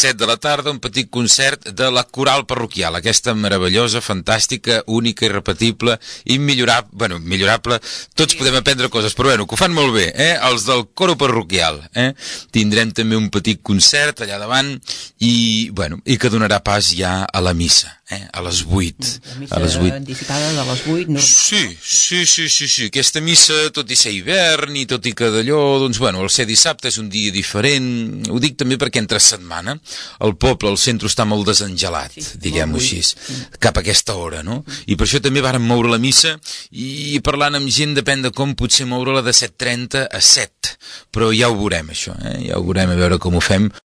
7 de la tarda, un petit concert de la Coral Parroquial, aquesta meravellosa, fantàstica, única, irrepetible, millorable, tots podem aprendre coses, però bueno, que ho fan molt bé, els del Coro Parroquial, tindrem també un petit concert allà davant i que donarà pas ja a la missa, a les 8. La missa anticipada de les 8. No? Sí, aquesta missa, tot i ser hivern i tot i que d'allò, doncs el ser dissabte és un dia diferent, ho dic també perquè entre setmana el poble, el centre està molt desengelat, diguem-ho així, cap a aquesta hora, no? I per això també vàrem moure la missa i parlant amb gent depèn de com potser moure-la de 7:30 a 7, però ja ho veurem això, ja ho veurem a veure com ho fem.